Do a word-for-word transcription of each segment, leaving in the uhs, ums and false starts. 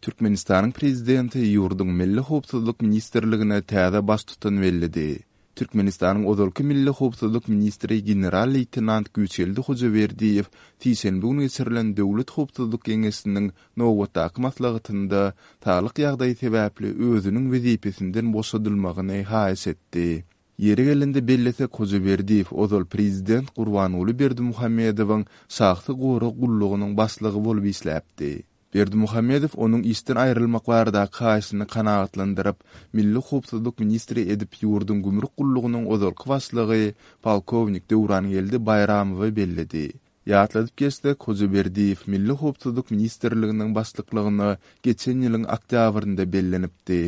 Türkmenistanyň Prezidenti ýurduň Milli howpsuzlyk ministrligine täze baştutan belledi. Türkmenistanyň ozalky Milli howpsuzlyk ministri general-leýtenant Güýçgeldi Hojaberdiýew sişenbe güni geçirilen Döwlet howpsuzlyk geňeşiniň nobatdaky maslahatynda saglyk ýagdaýy sebäpli özüniň wezipesinden boşadylmagyny haýyş etdi. Ýeri gelende bellesek, Hojaberdiýew ozal prezident Gurbanguly Berdimuhamedowyň şahsy gorag gullugynyň başlygy bolup işläpdi. Berdimuhamedow onuň işden aýrylmak baradaky haýyşyny kanagatlandyryp, Milli howpsuzlyk ministri edip ýurduň gümrük gullugynyň ozalky başlygy polkownik Döwrangeldi Baýramowy belledi. Ýatladyp geçsek, Hojaberdiýew Milli howpsuzlyk ministrliginiň başlyklygyna geçen ýylyň oktýabrynda bellenipdi.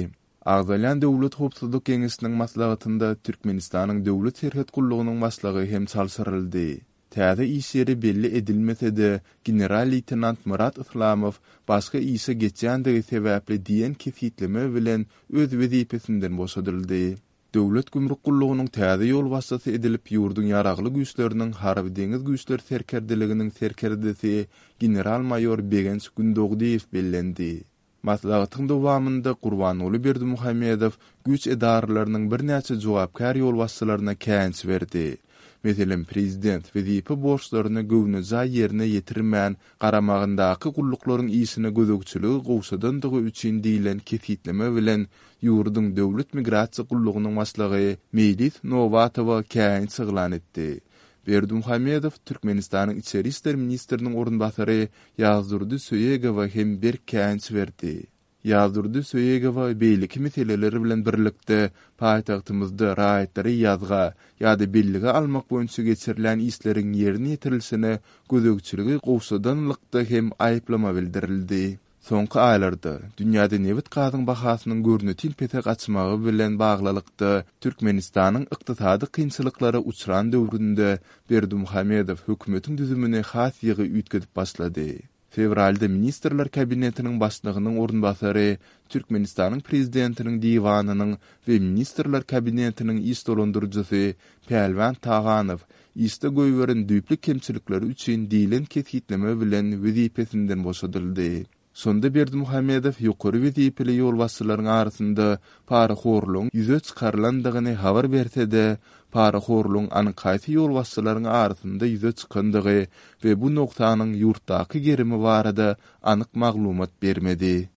Agzalýan Döwlet howpsuzlyk geňeşiniň maslahatynda Türkmenistanyň Döwlet serhet gullugynyň başlygy hem çalşyryldy. Täze iş ýeri belli edilmese-de, general-leýtenant Myrat Yslamow başga işe geçýändigi sebäpli diýen kesgitleme bilen öz wezipesinden boşadyldy. Döwlet gümrük gullugynyň täze ýolbaşçysy edilip ýurduň Ýaragly Güýçleriniň Harby-deňiz güýçleri serkerdeliginiň serkerdesi general-maýor Begenç Gündogdyýew bellendi. Maslahatyň dowamynda Gurbanguly Berdimuhamedow güýç edaralarynyň birnäçe jogapkär ýolbaşçylaryna käýinç berdi. Meselem, prezident wezipe borçlaryny göwnejaý ýerine ýetirmän, garamagyndaky gulluklaryň işine gözegçiligi gowşadandygy üçin diýlen kesgitleme bilen ýurduň Döwlet migrasiýa gullugynyň başlygy Meýlis Nobatowa käýinç yglan etdi. Berdimuhamedow Türkmenistanyň içeri işler ministriniň orunbasary Ýazdurdy Söýegowa hem berk käýinç berdi. Ýazdurdy Söýegowa beýleki meseleler bilen birlikde paýtagtymyzda raýatlary ýazga ýa-da bellige almak boýunça geçirilýän işleriň ýerine ýetirilişine gözegçiligi gowşadanlykda hem aýyplama bildirildi. Soňky aýlarda dünýäde nebit-gazyň bahasynyň görnetin pese gaçmagy bilen baglylykda Türkmenistanyň ykdysady kynçylyklara uçran döwründe Berdimuhamedow hökümetiň düzümini has ýygy üýtgedip başlady. Fewralda Ministrler Kabinetiniň Başlygynyň orunbasary, Türkmenistanyň Prezidentiniň Diwanynyň we Ministrler Kabinetiniň iş dolandyryjysy Pälwan Taganow işde goýberen düýpli kemçilikleri üçin diýlen kesgitleme bilen wezipesinden boşadyldy. Şonda Berdimuhamedow ýokary wezipeli ýolbaşçylaryň arasynda parahorlugyň ýüze çykarylandygyny habar berse-de, parahorlugyň anyk haýsy ýolbaşçylaryň arasynda ýüze çykandygy we bu nogsanyň ýurtdaky gerimi barada anyk maglumat bermedi.